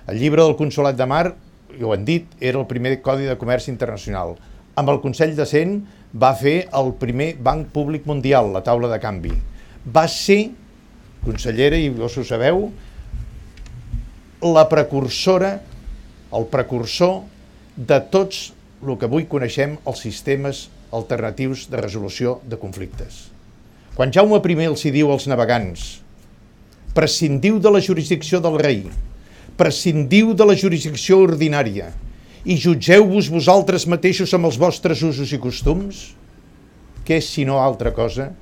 El llibre del Consolat de Mar, ho han dit, era el primer Codi de Comerç Internacional. Amb el Consell de Cent va fer el primer Banc Públic Mundial, la taula de canvi. Va ser, consellera, i vos ho sabeu, la precursora, el precursor de tots el que avui coneixem els sistemes alternatius de resolució de conflictes. Quan Jaume I els hi diu als navegants: prescindiu de la jurisdicció del rei, prescindiu de la jurisdicció ordinària i jutgeu-vos vosaltres mateixos amb els vostres usos i costums, què és sinó altra cosa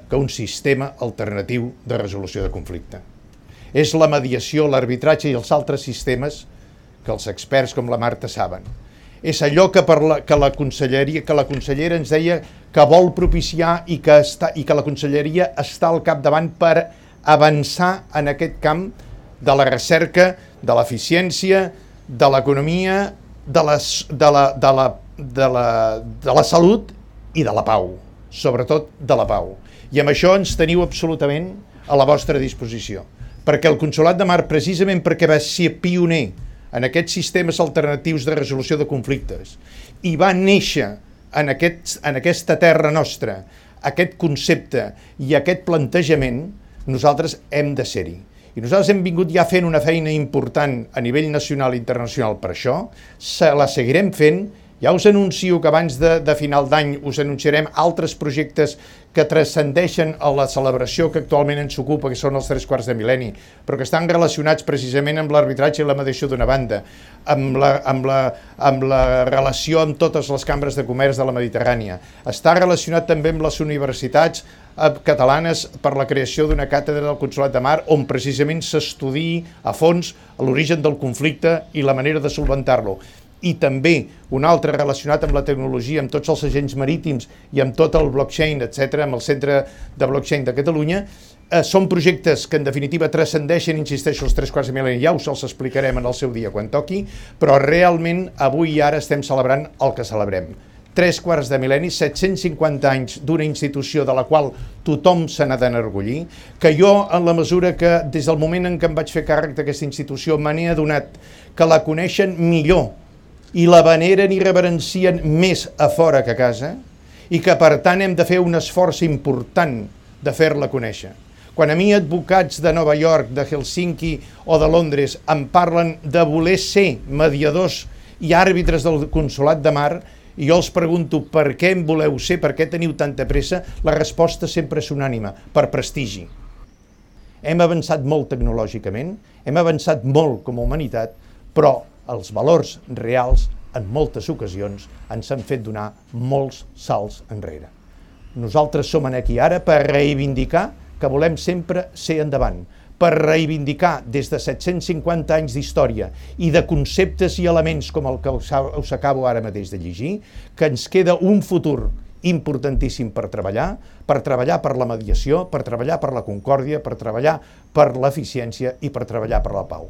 que un sistema alternatiu de resolució de conflicte. És la mediació, l'arbitratge i els altres sistemes que els experts com la Marta saben. És allò que la consellera ens deia que vol propiciar i que la conselleria està al capdavant per avançar en aquest camp de la recerca, de l'eficiència, de l'economia, de la salut i de la pau, sobretot de la pau. I amb això ens teniu absolutament a la vostra disposició, perquè el Consolat de Mar, precisament perquè va ser pioner en aquests sistemes alternatius de resolució de conflictes i va néixer en aquesta terra nostra aquest concepte i aquest plantejament, nosaltres hem de ser-hi. I nosaltres hem vingut ja fent una feina important a nivell nacional i internacional per això, la seguirem fent. Ja us anuncio que abans de final d'any us anunciarem altres projectes que transcendeixen a la celebració que actualment ens ocupa, que són els 3 quarts de mil·lenni, però que estan relacionats precisament amb l'arbitratge i la mediació d'una banda, amb la relació amb totes les cambres de comerç de la Mediterrània. Està relacionat també amb les universitats catalanes per la creació d'una càtedra del Consolat de Mar on precisament s'estudiï a fons l'origen del conflicte i la manera de solventar-lo. I també un altre relacionat amb la tecnologia, amb tots els agents marítims i amb tot el blockchain, etc., amb el Centre de Blockchain de Catalunya. Són projectes que en definitiva transcendeixen, insisteixo, els 3 quarts de mil·lenni, ja us els explicarem en el seu dia quan toqui, però realment avui i ara estem celebrant el que celebrem. 3 quarts de mil·lenni, 750 anys d'una institució de la qual tothom se n'ha d'enorgullir, que jo, en la mesura que des del moment en què em vaig fer càrrec d'aquesta institució, me n'he adonat que la coneixen millor i la veneren i reverencien més a fora que a casa, i que per tant hem de fer un esforç important de fer-la conèixer. Quan a mi advocats de Nova York, de Helsinki o de Londres em parlen de voler ser mediadors i àrbitres del Consolat de Mar, i jo els pregunto per què en voleu ser, per què teniu tanta pressa, la resposta sempre és unànime: per prestigi. Hem avançat molt tecnològicament, hem avançat molt com a humanitat, però els valors reals, en moltes ocasions, ens han fet donar molts salts enrere. Nosaltres som aquí ara per reivindicar que volem sempre ser endavant, per reivindicar des de 750 anys d'història i de conceptes i elements com el que us acabo ara mateix de llegir, que ens queda un futur importantíssim per treballar per la mediació, per treballar per la concòrdia, per treballar per l'eficiència i per treballar per la pau.